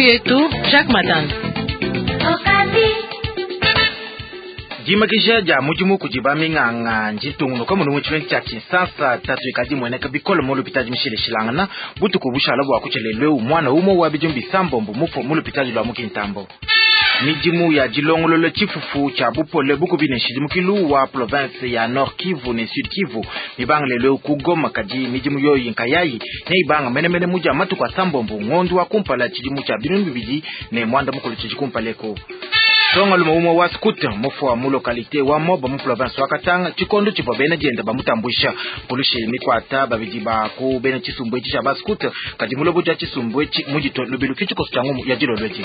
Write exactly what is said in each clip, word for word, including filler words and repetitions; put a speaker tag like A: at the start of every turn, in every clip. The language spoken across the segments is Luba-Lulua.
A: Yetu Jacques Matanda.
B: Dimakisha dia mudimu kudi baminganga nditungunuka muno mu tshimenga tshia Kinshasa. Tatu ikadi imueneka bikole mu lupitadi mishilashilangana butuku bushala bua kutsheleleu mwana umwe wa bidimu bisambombo mufue mu lupitadi lwa mu Kintambo. Midimu ya dilongolola tshifufu tshia bupole bukubi ne nshidimukilu wa province ya Nord Kivu ne Sud Kivu mibanga lelo ku Goma, kadi midimu yoyi nkayayi neibanga menemene mudia matuku asambombo ngondo wa kumpala tshidimu tshia binunu bibidi ne mwanda mukulu tshidi kumpaleko. Nsonga lume umwe wa scout mufua mu localité wa Moba mu province wa Katanga tshikondo tshivua bena dienda bamutambuisha. Pulushi mikwata babidi ba ku bena tshisumbu etshi tshia ba scout, kadi mulobo dia tshisumbu etshi mudito lubilu ke tshikoso tshia ngumu ya dilolo edi.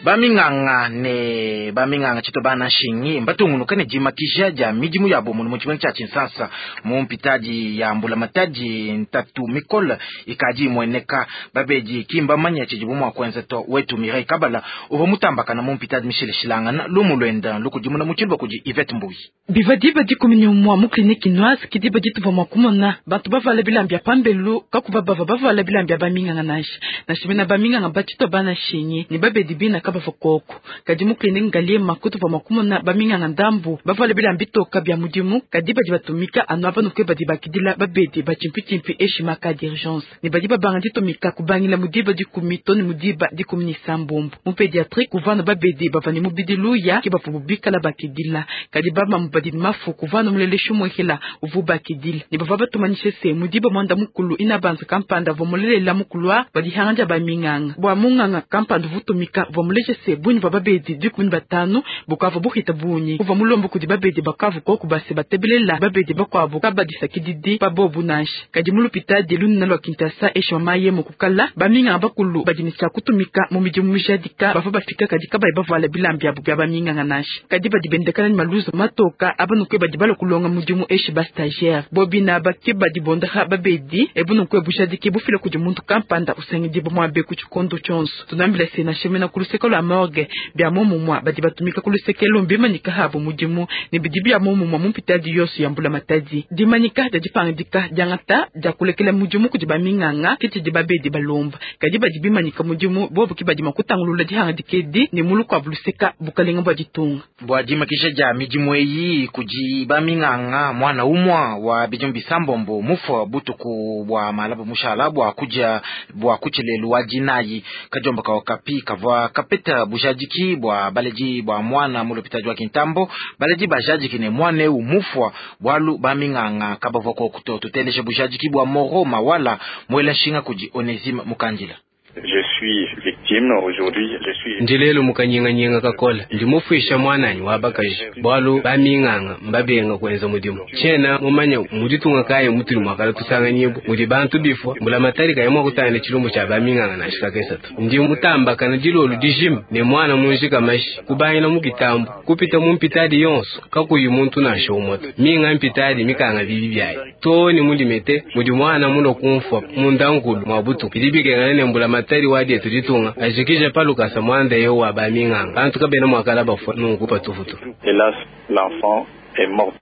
B: Baminganga ne baminganga tshito bana nshingi mbatungunuka ne dimakisha dia midimu yabo muno mu tshimenga tshia Kinshasa mu mpitadi ya mbulamatadi. Ntatu mikole ikadi imueneka, babedi ki mbamanya tshidibu mua kuenza to. Wetu Mireille Kabala uvua mutambakana mu mpitadi mishilashilangana lumu luenda lukudimuna mu tshiluba kudi Yvette Mbuyi.
C: Biva diba dikumi ne umua mu kliniki noise ke diba dituvua mua kumona bantu bavala bilamba bia pambelu, kakuva bava bavala bilamba bia baminganga nansha nansha bena baminganga batshito bana nshingi ne babedi bina kabava koko. Kadi mu kliniki Ngaliema kutuvua mua kumona baminganga ndambu bavala bilamba bitoka bia mudimu, kadi badi batumika anu aba nukwe badi bakidila babedi batshimpitshimpi eshi maka d'urgence ne badi babanga ditumika kubangila mu diba dikumi to ne mu diba dikumi ne sambombo. Mu pédiatrie kuvana babedi bava ne mubidi luya ke bavua bikala bakidila, kadi bamamu badi ne mafu kuvana muleleshu mwehela uvu bakidila ne bavua batumanyishe se mu diba mwanda mukulu ina banza kampanda vua mulelela mukulwa badihanga dia baminganga bua munganga kampanda vutumika vua muleje se bunyi bua babedi dikumi ne batanu bukavua buhita bunyi kuvua mulombo kudi babedi bakavu koku base batebelela babedi bakuabu kabadisakididi pa bobu nansha. Kadi mu lupitadi lunene lua Kinshasa eshi mamaye mukukala baminganga bakulu badi ne tshia kutumika mu midimu mijadika bavua bafika kadi kabayi bavuala bilamba biabu bia baminganga nansha, kadi badi bendekana ne maluzo matoka abanukwe badi balua kulonga mudimu eshi ba stagiaire bobina bake badi bondaha babedi ebunukwe bujadiki bufila kudi muntu kampanda usangidibwa muabe ku tshikondo tshionso. Tunambila se nansha ku luseke lua morgue bia momumua badi batumika ku luseke lumbi manyika habo mudimu ne bidi bia momumua mu mpitadi yonso ya mbulamatadi. Dimanyika dia dipangadika diangata dia kulekela mudimu kudi baminganga ke tshidi babedi balomba, kadi badi bimanyika mudimu bobu ke badi mua kutangulula dihangadika edi ne mulu kuabu luseka bukalenga bua ditunga.
B: Bua dimakisha dia midimu eyi kudi baminganga, mwana umwa wa bidimu bisambombo mufua butuku bua malaba mushala bua kudia bua kutshilelu wa dinayi. Kadiomba ka Okapi kavua kapeta bujadiki bua baledi bua mwana mu lupitadi wa Kintambo. Baledi bajadiki ne mwana eu mufua bwalu baminganga kabavua kokuto. Tuteleje bujadiki bua Moro Mawala mwela nshinga kudi Onesime Mukandila.
D: Je suis victime aujourd'hui, je suis
E: Ndi lelu mukanyinganyinga kakola, ndi mufuisha mwananyi wa bakaji bwalu baminganga mbabenga kuenza mudimu. Tshiena mumanya muditunga kayi mutuli mwakala tusanganyibu mudi bantu bifua mbulamatari kayi mua kutangila tshilumbu tshia baminganga nansha kakesatu. Ndi mutambakana dilolu dijima ne mwana munjika mashi kubangila mu kitambo kupita mu mpitadi yonso kakuyi muntu nansha umwe. Minga mpitadi mikanga bibi byayi to ni mulimete mudi mwana mulo kumfua mundankulu mwa butuku bidi bikengana ne mbulamatari wa dietu ditunga ajikije palukasa mwanda yo wa baminganga bantu kabena mwakala bafua nunku patufutu.
D: Hélas, l'enfant est mort.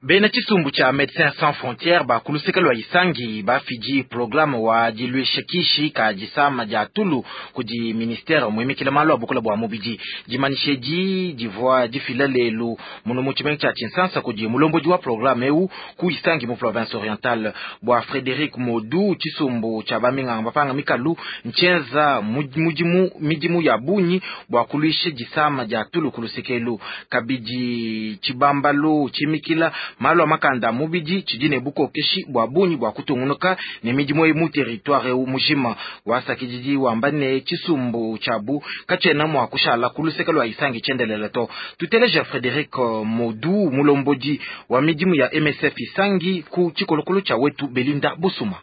B: Bena tshisumbu tshia Médecins Sans Frontières bakuluseka lua Isangi bafidi programme wa diluisha kishi ka disama dia tulu kudi ministère muimikila malu a bukula bua mubidi. Dimanyisha edi divua difila lelu muno mu tshimenga tshia Kinshasa kudi mulombodi wa programme eu ku Isangi mu province orientale. Bua Frédéric Modu, tshisumbu tshia baminganga bapanga mikalu ntshienza mudimu midimu ya bungi bua kuluisha disama dia tulu kulusekelu. Kabidi tshibambalu tshimikila malu a makanda a mubidi tshidi ne bukokeshi bua bungi bua kutungunuka ne midimu eyi mu territoire eu mujima. Wasakididi wamba ne tshisumbu tshiabu katshiena mua kushala ku luseke lua Isangi tshiendelele to. Tuteleja Frédéric Modu, mulombodi wa midimu ya M S F Isangi, ku tshikolokolo tshia wetu Belinda Busuma.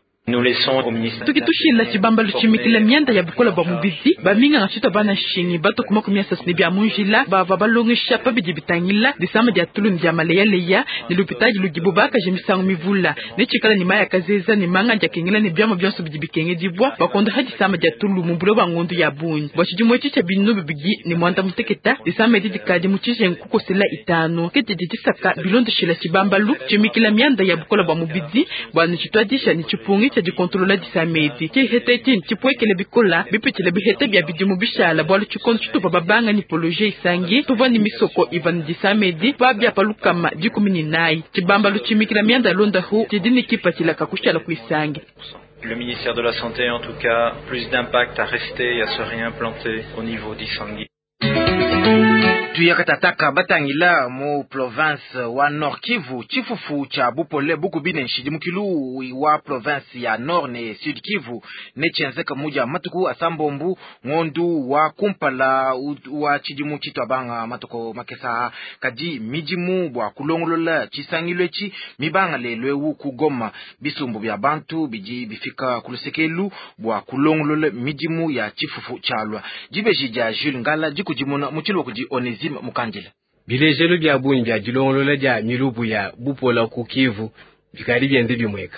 C: Tukitushila tshibambalu tshimikila mianda ya bukola bua mubidi baminganga tshito bana nshingi bato kuma miasasi ne bia munjila bava balongesha pabidi bitangila disama dia tulu ne dia maleyaleya ne lupitadi ludibo bakaje misangu mivula ne tshikala ne maya kazeza ne manga dia kengela ne biama bionso bidi bikengedibwa bakonda disama dia tulu mu bulo bua ngondu ya bungi bua tshidimu etshi tshia binu bibidi ne mwanda muteketa. Disama edi dikadi mu tshijengu kukosela itanu ke didi disaka bilondeshila tshibambalu tshimikila mianda ya bukola bua mubidi bua ne tshituadisha ne tshipungi. tshia dikontolola disama edi. Tshiheta etshi ntshipwekele bikola bipitshile biheta bia bidimu bishala bwalu tshikondo tshitupa babanga ni poloje isangi tuvwa ni misoko iva ni disama edi pa bia palukama dikumi ni nayi. Tshibamba lutshimikila mianda londa hu tshidi ni kipatshila kakushala kuisangi.
A: Le ministère de la Santé, en tout cas, plus d'impact à rester et à se réimplanter au niveau d'Isangi.
B: Tuyakatataka batangila mu province wa Nord Kivu chifufu cha bupole bukubine nshidimukilu wa province ya Nord ne Sud Kivu ne chenzeka muja matuku asambombu ngondu wa kumpala wa chidimu chitwabanga matuko makesa kadi mijimu bwa kulongolola chisangilwe chi mibanga lelwewu kugoma bisumbu bya bantu biji bifika kulusekelu bwa kulongolola mijimu ya chifufu chalwa jibeji ja Jules Ngala jikujimuna muchilwa kuji onezi mukandila
E: bilejelo bya bunyi bya dilongolola dia milubu ya bupola ku Kivu bikali byende bimweka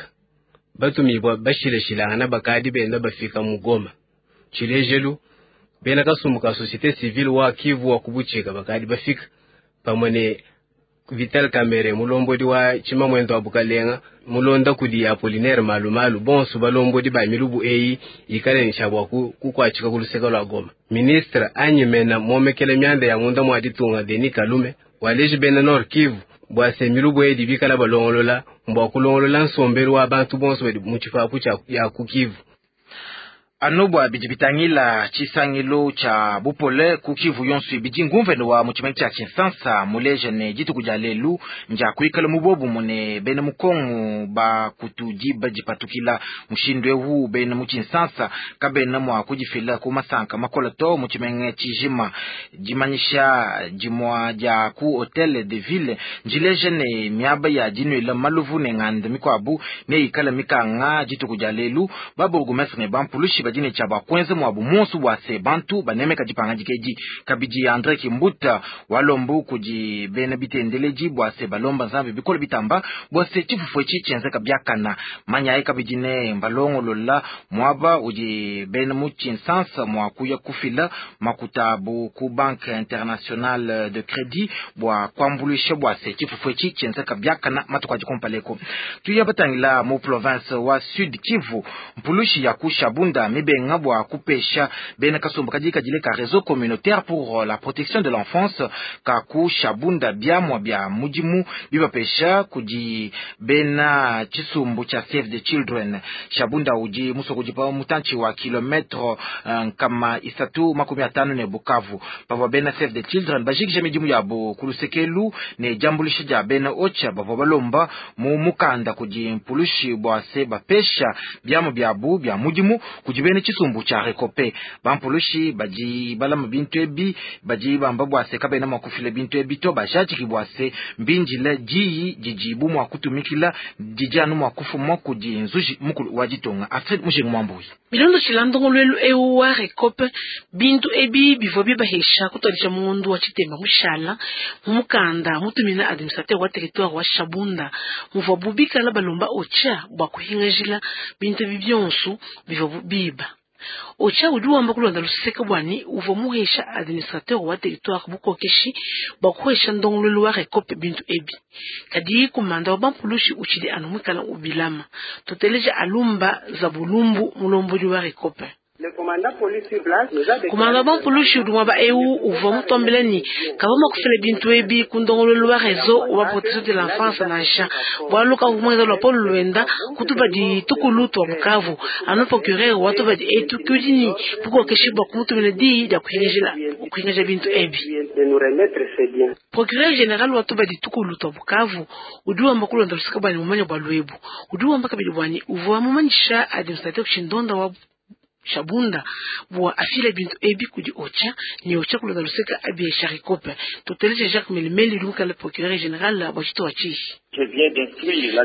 E: batumibwa bashileshilangana bakadi benda bafika mugoma tshilejelu bena kasumbu ka société civile wa Kivu wa kubuchika bakadi bafika pamwe ne Vital Kamerhe mulombodi wa tshimamwendo wa bukalenga mulonda kudi Apollinaire Malumalu bonso balombodi ba milubu eyi ikale nshabwa kukwatshika kuluseka lwa Goma. Ministre anyimena momekele myanda ya munda mwa ditunga Denis Kalume waleji bena Nord Kivu bwase milubu eyi dibikala balongolola mbwa kulongolola nsombelu wa bantu bonso badi mu tshipapu tshia ya ku Kivu.
B: Anobwa bidi bitangila chisangilo cha bupole ku Kivu yonso bidi ngumvene wa muchimene cha Kinshasa muleje ne dituku dia lelu nja kuikala mubobu mune bene mukongo ba kutudiba dipatukila mushindu ewu bene mu Kinshasa kabena mwa kudifila ku masanka makola to muchimene chijima dimanyisha dimwa dia ku hotel de ville njileje ne miaba ya dinwela maluvu ne nganda mikwabu ne ikala mikanga dituku dia lelu baburgumestre ne bampulushi badine cha bakwenze mwabu monsu bwa se bantu banemeka dipanga dikedi kabidi Andre Kimbuta walombu kudi bene bitendeleji bwa se balomba nzambe bikolo bitamba bwa se chifufu echi chenzeka byakana manyaye kabidi ne mbalongolola mwaba udi bene mu Kinshasa mwa kuya kufila makutabu ku Banque Internationale de Crédit bwa kwambulisha bwa se chifufu echi chenzeka byakana matuka dikompaleko tuya batangila mu province wa Sud Kivu mpulushi ya kushabunda mibenga bwa kupesha bena kasumba kadika jile ka réseau communautaire pour la protection de l'enfance ka kushabunda byamwa bya mujimu bibapesha kudi bena chisumbu cha Save the Children shabunda uji musoko jipa mutanchi wa kilometro nkama isatu makumi atano ne Bukavu pavwa bena Save the Children bajikije mijimu yabo kulusekelu ne jambulisha ja bena ocha bavwa balomba mu mukanda kudi mpulushi bwa se bapesha byamwa byabu bya mujimu kudi bene chisumbu cha rekope bampulushi baji balama bintu ebi baji bamba bwase kabena mwakufile bintu ebi to bajajiki bwase mbinjile jiyi jijibu mwakutumikila jijanu mwakufuma kudi nzuji mukulu wa ditunga Alfred Mujingu Mwambuyi
F: bilondo tshilandongolwelu ewu wa rekope bintu ebi bivua bibahesha kutwalisha mundu wa tshitemba mushala mumukanda mutumina administrateur wa territoire wa Shabunda muvua bubikala balomba ocha bwa kuhingajila bintu ebi byonso bivua biba ocha udi wamba kulonda luseka bwani uvua muhesha administrateur wa territoire bukokeshi bwa kuhesha ndongolwelu wa rekope bintu ebi kadi kumanda wa bampulushi utshidi anu mwikala ubilama toteleja alumba za bulumbu mulombodi wa rekope kumanda bampulushi udi mwaba ewu uvua mutombele ni kava makufila bintu ebi kundongolwelu wa réseau wa protection de l'enfance nansha bwalu kavu mwenza lwa polo lwenda kutuba ditukulu twa Bukavu anu procureur wa tuba di etu kiudini bukokeshi bwa kumutumina diyi dia kuhingaja bintu ebi procureur général wa tuba ditukulu twa Bukavu udi wamba kulonda lusika bwani mumanya bwa lwebu udi wamba kabidi bwani uvua mumanyisha administrateur kushindonda wa Shabunda bwa afile bintu ebi kudi ocha ni ocha kulonda luseka abi sharikope toteleje Jacques Melimeli lumkala procureur général wa chito wa chihi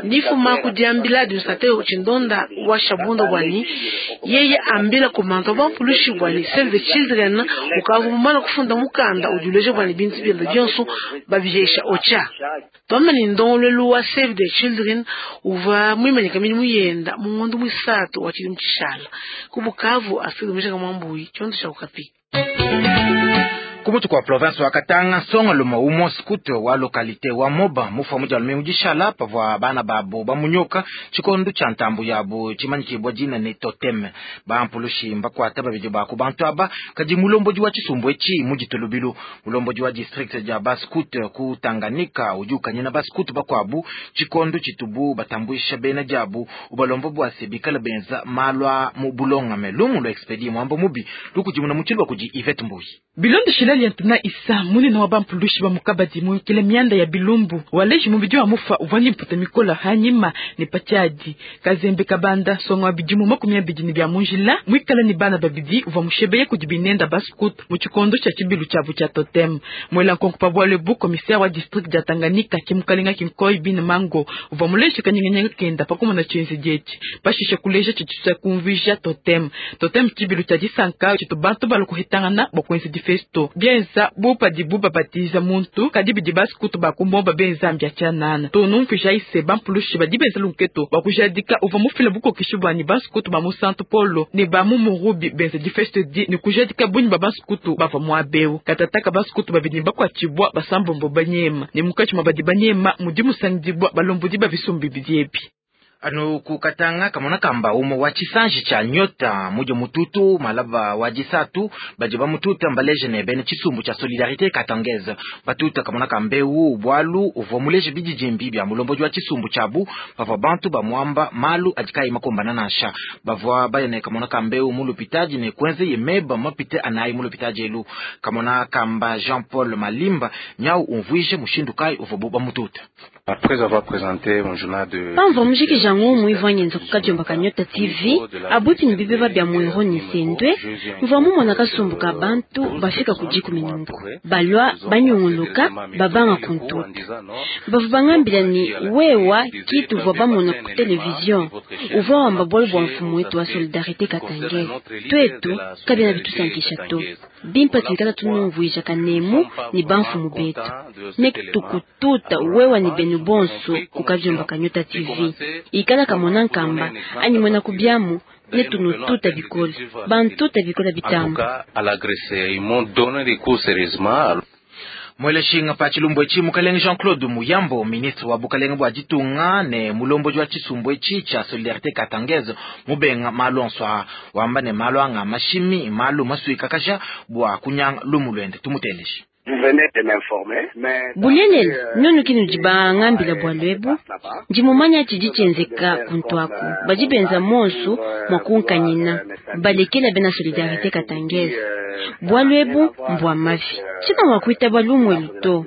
F: nifuma kudiambila administrateur chindonda wa Shabunda bwani yeye ambila kumanta bampulushi bwani Save the Children ukavumana kufunda mukanda ujuleje bwani bintu byenda byonso babihesha ocha twamani ndongolwelu wa Save the Children uva mwimanyika milimu yenda mungondo mwisatu wa chilimu chishala ku Bukavu Astrid Mishaka Mwambuyi chondo cha Okapi.
B: Kumutu kwa province wa Katanga songa luma umo scout wa localité wa Moba mufa muja lumingu dishala pavwa bana babo bamunyoka chikondo cha ntambu yabo chimanyikibwa jina ne totem bampulushi mbakwata babidi ba ku bantu aba kadi mulomboji wa chisumbu echi mujitulubilu mulomboji wa district ja bascout ku Tanganyika udi ukanyina bascout bakwabu chikondo chitubu batambwisha bena jabu ubalombo bwase bikala benza malwa mu bulonga melumu lo expedi mwambo mubi lukujimuna muchilwa kuji Yvette Mbuyi
C: Bilondo shilali yantuna isa munene wa bampulushi ba mukabadi muikile mianda ya bilumbu waleji mubidi wa mufa uvani mputa mikola hanyima ne patiadi kazembe kabanda songa bidimu makumi abidi ne bya munjila mwikala ni bana babidi uva mushebeye kudi binenda bascout mu tshikondo tshia tshibilu tshiabu tshia totem mwela nkonko pa bwale bu commissaire wa district ya Tanganyika kimukalinga kinkoi bin mango uva muleshi kanyengenyenga kenda pakumona tshienzi dieti pashishe kuleja tshitshisa kumvisha totem totem tshibilu tshia disanka tshitu bantu balukuhitangana bokwenzi difesto bienza bupa dibu babatiza muntu kadi bidi baskutu bakumomba benzambi achanana tunumvisha ise bampulushi badi benza lunketo bakujadika uva mufila bukokishi bwani baskutu ba musantu polo ne ba mumurubi benza difesto di ne kujadika bunyi ba baskutu bava mwabeu katataka baskutu babidi bakwatshibwa basambombo banyema ne mukachi mabadi banyema mudi musangidibwa balombodi babisumbi bidiebi
B: anu kukatanga kamona kamba umo wa chisanji cha nyota mujo mututu malaba wa jisatu baje ba mututa mbaleje ne bene chisumbu cha solidarité katangeze batuta kamona kambeu bwalu uvo muleje bijijimbi bya mulomboji wa chisumbu chabu bava bantu ba mwamba malu ajikai makombana nasha bavwa bayene kamona kambeu mulupitaji ne kwenze yemeba mapite anayi mulupitaji elu kamona kamba Jean Paul Malimba nyau umvwije mushindu kai uvo buba mututa.
G: Après avoir présenté mon journal de
H: pamva mujiki jangu muivanyenza kukadiomba ka Nyota T V abuti ni bibeba bya mwero ni sendwe mva mumona kasumbuka bantu bafika kujiku minungu balwa banyunguluka babanga kuntuta bavu bangambila ni wewa kitu vwa bamona ku television uva wamba bwalo bwa mfumu wetu wa solidarité katangeze twetu kabina bitusankisha to bimpa tuikala tunumvuija kanemu ni bamfumu betu ne tukututa wewa ni benu bonso kukavyomba ka Nyota T V ikala kamona nkamba anyi mwena kubyamu ne tunututa bikola bantuta bikola bitamba.
B: Mweleshinga pa chilumbu echi mukalenge Jean-Claude Muyambo ministre wa bukalenge bwa ditunga ne mulomboji wa chisumbu echi cha solidarité katangeze mubenga malonswa wamba ne malwanga mashimi malu masuika kasha bwa kunyanga lumulwende tumuteleshi.
H: Bulelele nonu kinu jibangambila bwa lwebu njimumanya chiji chenzeka kuntwaku bajibenza monsu mwakunkanyina balekela bena solidarité katangeze bwa lwebu mbwa mafi china mwakuita bwa lumwelu to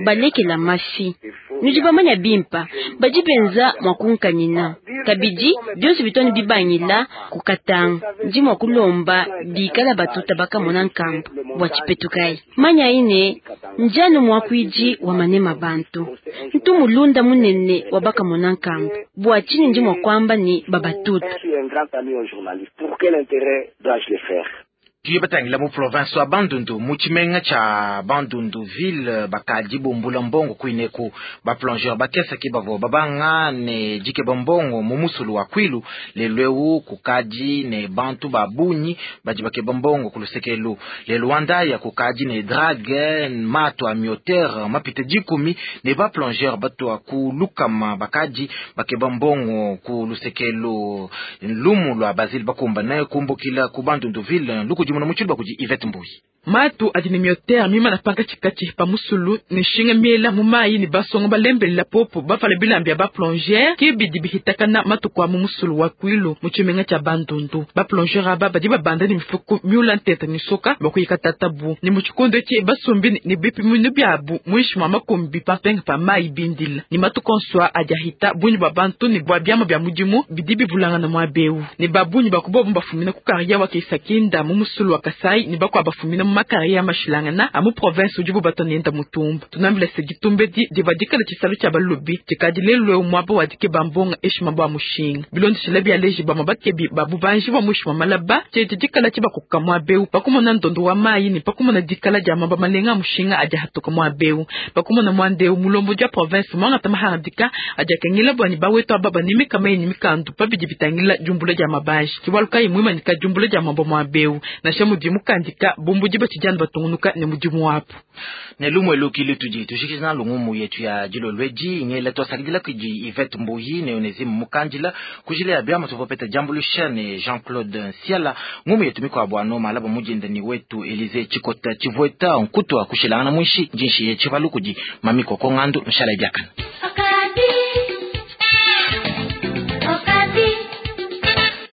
H: balekela mafi nujibamanya bimpa bajibenza mwakunkanyina kabidi byonso bitoni bibangila kukatanga ndi mwakulomba bikala batuta bakamona nkamba bwa chipetukai manya ine njano mwakwiji wa manema bantu ntumulunda munene wa bakamona nkamba bwa chini ndi mwakwamba ni babatuta.
B: Tuye batangila mu province wa Bandundu mu tshimenga tsha Bandundu ville bakadi bumbula mbongo kuineku ba plongeur bakesaki bavo babanga ne dike bombongo mu musulu wa Kwilu lelweu kukadi ne bantu babunyi badi bakeba mbongo kulusekelu lelwanda ya kukadi ne drague mato a mioter mapite dikumi ne ba plongeur batwa ku lukama bakadi bakeba mbongo kulusekelu lumu lwa Basile bakumba ne kumbukila ku Bandundu ville luku muna kuji Yvette Mbuyi.
C: Matu adine mioter mima na panka chikati pa musulu ne shinga miela mumayi ni basongo balembelela popo bafala bilambi ya ba plongeur kibidi bihitakana matuku a mu musulu wa Kwilu mu tshimenga tsha Bandundu ba plongeur aba badi babanda ni mifuku miula ntete ni soka bakuyika tatabu ni mu tshikondo etshi basumbi ni bipimunu byabu muishi mwa makumbi pampenga pa mayi bindila ni matuku onswa adi ahita bunyi bwa bantu ni bwa byama bya mudimu bidi bivulangana mwa beu ni babunyi bakubobu bafumina ku kariya wa Kisakinda mu musulu wa Kasai ni bakwa bafumina mu makariya mashilangana amu province ujibu batonenda mutumba tunambila segitumbe di divadikala tshisalu tshia balubi tshikadi lelwe mwabo wadike bambonga eshima bwa mushinga bilondeshela bya leji bama bakebi babubanji bwa mushima malaba tshete dikala tshibakuka mwa beu pakumona ndondo wa mayi ni pakumona dikala dia mamba malenga mushinga aja hatuka mwa beu pakumona mwandeu mulombo dia province mwanga tamaharadika aja kengela bwani baweto ababa nimika mayi nimikandu pabidi bitangila jumbula dia mabaji kiwaluka imwima nika jumbula dia mambo mwa beu na shamu di mukandika bumbu diba batshidi batungunuka ne mudimu wabu.
B: Ne lumwe luki lutudi tujikija nalu ngumu yetu ya dilolwedi ngela twasakidila kudi Yvette Mbuyi ne Onesime Mukandila kujila ya byama tuvopeta jambulusha ne Jean-Claude Nsiala. Ngumu yetu mikwabo ano malaba mujinda ni wetu Elise Chikota Chivueta nkutwa kushilangana mwishi jinshi ye chivalu kudi mamiko kongandu nshala byakana.